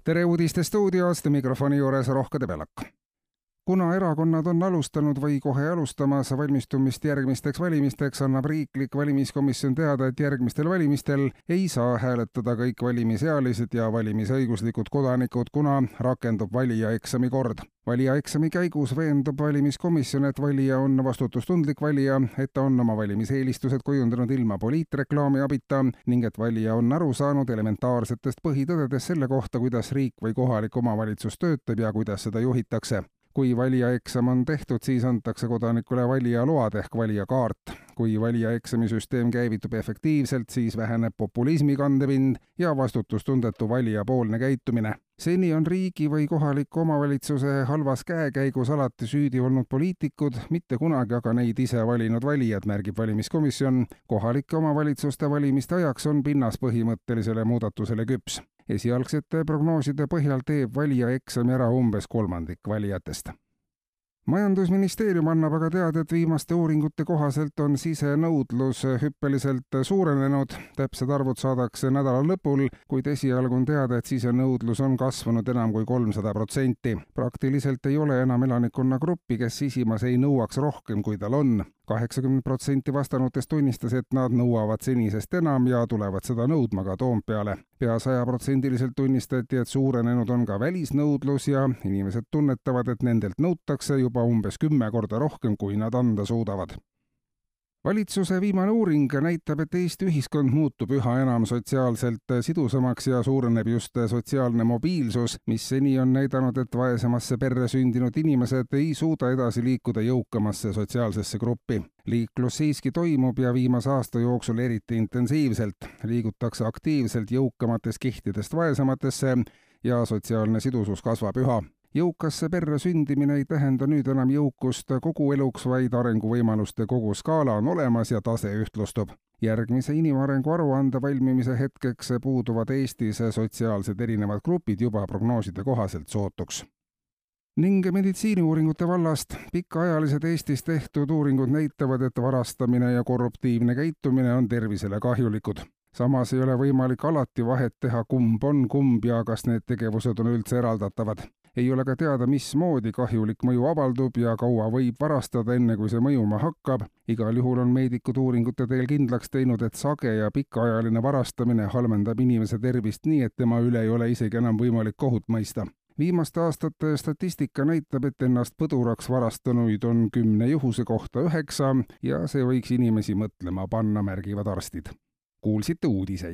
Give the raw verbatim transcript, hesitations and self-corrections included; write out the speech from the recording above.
tere uudiste stuudiost, mikrofoni juures Rohke Debelak. Kuna erakonnad on alustanud või kohe alustamas valmistumist järgmisteks valimisteks, annab riiklik valimiskomisjon teada, et järgmistel valimistel ei saa hääletada kõik valimisealised ja valimisõiguslikud kodanikud, kuna rakendub valijaeksami kord. Valijaeksami käigus veendub valimiskomisjon, et valija on vastutustundlik valija, et ta on oma valimiseelistused kujundanud ilma poliitreklaami abita ning et valija on aru saanud elementaarsetest põhitõdedest selle kohta, kuidas riik või kohalik omavalitsus töötab ja kuidas seda juhitakse. Kui valijaeksam on tehtud, siis antakse kodanikule valijaload ehk valijakaart. Kui valijaeksamisüsteem käivitub efektiivselt, siis väheneb populismi kandepind ja vastutustundetu valijapoolne käitumine. Seni on riigi või kohaliku omavalitsuse halvas käekäigus alati süüdi olnud poliitikud, mitte kunagi aga neid ise valinud valijad, märgib valimiskomisjon. Kohalike omavalitsuste valimiste ajaks on pinnas põhimõttelisele muudatusele küps. Esialgsete prognooside põhjal teeb valijaeksami ära umbes kolmandik valijatest. Majandusministeerium annab aga teada, et viimaste uuringute kohaselt on sisenõudlus hüppeliselt suurenenud. Täpsed arvud saadakse nädala lõpul, kuid esialgu on teada, et sisenõudlus on kasvanud enam kui kolmsada protsenti. Praktiliselt ei ole enam elanikkonna gruppi, kes sisimas ei nõuaks rohkem, kui tal on. kaheksakümmend protsenti vastanutest tunnistas, et nad nõuavad senisest enam ja tulevad seda nõudma ka Toompeale. Pea sajaprotsendiliselt tunnistati, et suurenenud on ka välisnõudlus ja inimesed tunnetavad, et nendelt nõutakse juba umbes kümme korda rohkem, kui nad anda suudavad. Valitsuse viimane uuring näitab, et Eesti ühiskond muutub üha enam sotsiaalselt sidusamaks ja suureneb just sotsiaalne mobiilsus, mis seni on näidanud, et vaesemasse perre sündinud inimesed ei suuda edasi liikuda jõukamasse sotsiaalsesse gruppi. Liiklus siiski toimub ja viimase aasta jooksul eriti intensiivselt. Liigutakse aktiivselt jõukamatest kihtidest vaesematesse ja sotsiaalne sidusus kasvab üha. Jõukasse perre sündimine ei tähenda nüüd enam jõukust kogu eluks, vaid arenguvõimaluste kogu skaala on olemas ja tase ühtlustub. Järgmise inimarengu aruande valmimise hetkeks puuduvad Eestis sotsiaalsed erinevad grupid juba prognooside kohaselt sootuks. Ning meditsiiniuuringute vallast pikaajalised Eestis tehtud uuringud näitavad, et varastamine ja korruptiivne käitumine on tervisele kahjulikud. Samas ei ole võimalik alati vahet teha, kumb on kumb ja kas need tegevused on üldse eraldatavad. Ei ole ka teada, mismoodi kahjulik mõju avaldub ja kaua võib varastada, enne kui see mõjuma hakkab. Igal juhul on meedikud uuringute teel kindlaks teinud, et sage ja pikaajaline varastamine halvendab inimese tervist nii, et tema üle ei ole isegi enam võimalik kohut mõista. Viimaste aastate statistika näitab, et ennast põduraks varastanuid on kümne juhuse kohta üheksa ja see võiks inimesi mõtlema panna, märgivad arstid. Kuulsite uudiseid.